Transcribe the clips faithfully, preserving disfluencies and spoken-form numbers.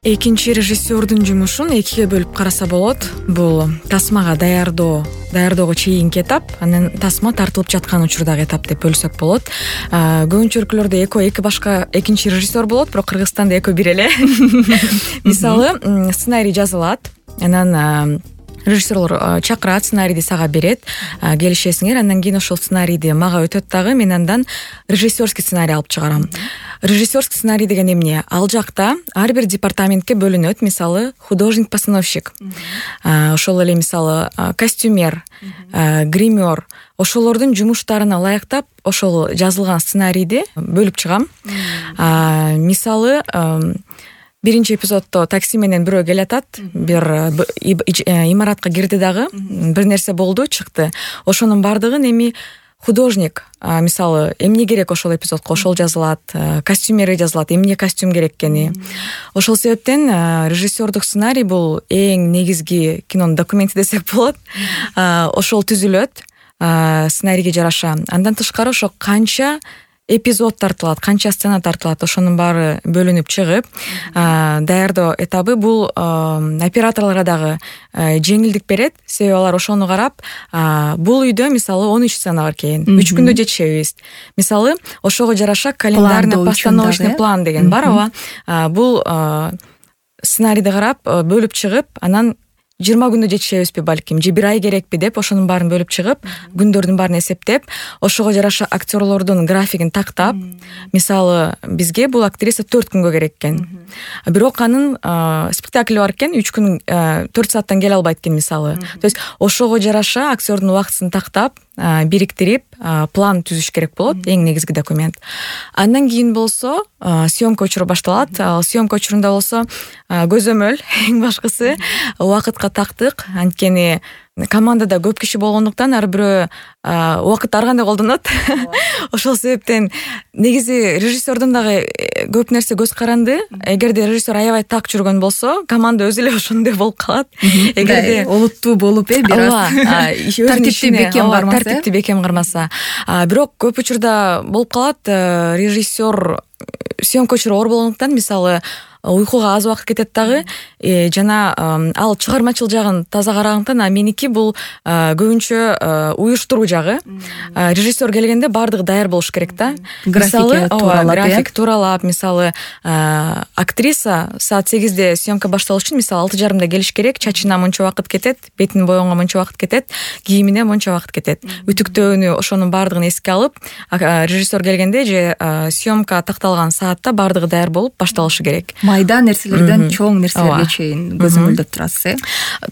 Экинчи режиссердун жумушун экиге бөлүп караса болот. Бул тасмага даярдоо, даярdoого чейинки этап, анан тасма тартылып жаткан учурдагы этап деп бөлсөк болот. Көбүнчө өлкөлөрдө экөө эки башка экинчи режиссер болот, бирок Кыргызстанда экөө бир эле. Мисалы, сценарий жазылат, анан режиссерлор чакырат, сценарийди сага берет, келишесиңер, андан кийин ошол сценарийди мага өтөт дагы, мен андан режиссерский сценарий алып чыгарам. Режиссерский сценарий деген эмне? Ал жакта ар бир департаментке бөлүнөт, мисалы, художник-постановщик, ошол эле мисалы костюмер, гример, ошолордун жумуштарына ылайыктап ошол жазылган сценарийди бөлүп чыгам. Мисалы, биринчи эпизоддо такси менен бирөө келатат, бир имаратка кирди дагы, бир нерсе болду, чыкты. Ошонун бардыгын эми художник, мисалы, эмне керек ошол эпизодко, ошол жазылат, костюмери жазылат, эмне костюм керек экени. Ошол себептен режиссердук сценарий бул эң негизги кинонун документи десек болот. Ошол түзүлөт сценарийге жараша. Андан тышкары ошо канча эпизод тартылат, канча сцена тартылат, ошонун баары бөлүнүп чыгып, даярдоо этабы бул операторлорго дагы жеңилдик берет, себеби алар ошону карап, бул үйдө мисалы он үч сцена бар экен, үч күндө жетишебиз. Мисалы, ошого жараша календарный постановочный план деген бар, ооба. Бул сценарийди карап бөлүп чыгып, анан жыйырма күндө жетишебизби балким, же бир ай керекпи деп ошонун баарын бөлүп чыгып, күндөрдүн баарын эсептеп, ошого жараша актерлордун графигин тактап, мисалы, бизге бул актриса төрт күнгө керек экен. Бирок анын спектакли бар экен, үч күн төрт сааттан келе албайт экен, мисалы. То есть ошого жараша актердун убактысын тактап, бириктирип, план түзүш керек болот, эң негизги документ. Андан кийин болсо, съемка учуру башталат. Ал съемка учурунда болсо, көзөмөл эң башкысы, убакытка тактык, анткени командада көп киши болгондуктан ар бирөө убакытты ар кандай колдонот. Ошол себептен негизи режиссердун дагы көп нерсе көз каранды. Эгерде режиссер аябай так жүргөн болсо, команда өзү эле ошондой болуп калат. Эгерде олуттуу болуп, э, бир аз тартипти бекем кармаса, тартипти бекем кармаса. Бирок көп учурда болуп калат, режиссер съемка учуру оор болгондуктан, мисалы, уйкуга аз убакыт кетет дагы, жана ал чыгармачыл жагын таза карагандыктан, а меники бул көбүнчө уюштуруу жагы. Режиссер келгенде бардыгы даяр болуш керек да. График тууралап, график тууралап, мисалы, актриса саат сегизде съемка башталыш үчүн, мисалы, алты жарымда келиш керек, чачына мынча убакыт кетет, бетин боегонго мынча убакыт кетет, кийимине мынча убакыт кетет. Үтүктөөнү, ошонун бардыгын эске алып, режиссер келгенде же съемка такталган саатта бардыгы даяр болуп башталышы керек. Майда нерселерден чоң нерселерге чейин көзөмөлдөп турасыз, э?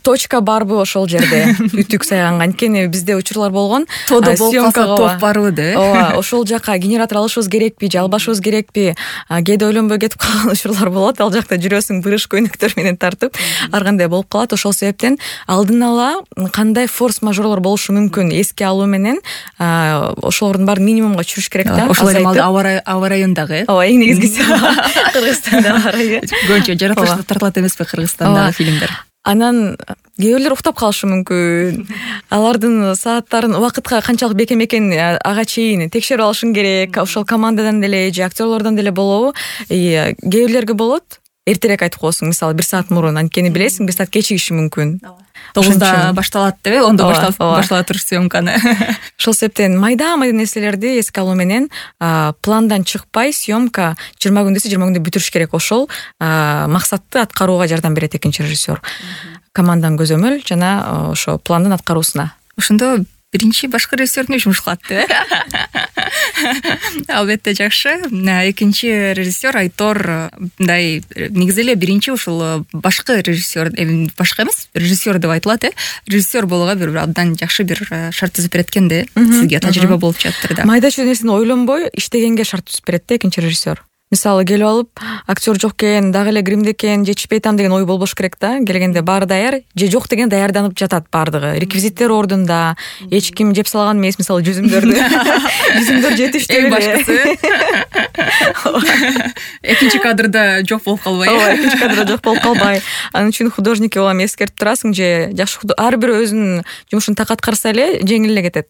Точка барбы ошол жерде? Үтүк сайганга, анткени бизде учурлар болгон. Тодо болуп калса топ барбы, да? Ооба, ошол жака генератор алышыбыз керекпи, же албашыбыз керекпи? Кээде ойлонбой кетип калган учурлар болот. Ал жакта жүрөсүң бырыш көйнөктөр менен тартып, ар кандай болуп калат. Ошол себептен алдын ала кандай форс-мажорлор болушу мүмкүн эске алуу менен ошолордун баарын минимумга түшүрүш керек да. Ошол эми аба район дагы. Ооба, эң негизгиси Кыргызстанда аба район. Көбүнчө жаратылышта тартылат эмеспи Кыргызстандагы фильмдер? Анан кээ бирлер уктап калышы мүмкүн. Алардын сааттарын убакытка канчалык бекем экенин ага чейин текшерип алышың керек. Ошол командадан деле же актерлордон деле болобу? Кээ бирлерге болот. Эртерээк айтып коесуң, мисалы, бир саат мурун, анткени билесиң, бир саат кечигиши мүмкүн. тогузда башталат деп, ондо баштала туруш съемканы. Ошол себептен майда майда нерселерди эске алуу менен пландан чыкпай съемка жыйырма күндө жыйырма күндө бүтүрүш керек. Ошол максатты аткарууга жардам берет экинчи режиссер. Команданын көзөмөл жана ошо пландын аткаруусуна. Ошондо биринчи башкы режиссер эмне жумуш кылат, э? Албетте жакшы. Экинчи режиссер Айтор мындай негизи эле биринчи ушул башкы режиссер, башка эмес, режиссер деп айтылат, э? Режиссер болууга бир абдан жакшы бир шарт түзүп берет экен да. Сизге тажрыйба болуп жатыр да. Майда чөй нерсени ойлонбой иштегенге шарт түзүп берет да экинчи режиссер. Мисалы, келип алып, актер жок экен, дагы эле гримде экен, жетишпей атам деген ой болбош керек да. Келгенде баары даяр, же жок деген даярданып жатат бардыгы. Реквизиттер ордунда, эч ким жеп салган эмес, мисалы, жүзүмдөрдү. Жүзүмдөр жетиштүү эле. Эң башкысы. Экинчи кадрда жок болуп калбай. Ооба, экинчи кадрда жок болуп калбай. Анын үчүн художникке улам эскертип турасың, же жакшы ар бирөө өзүнүн жумушун так аткарса эле жеңил эле кетет.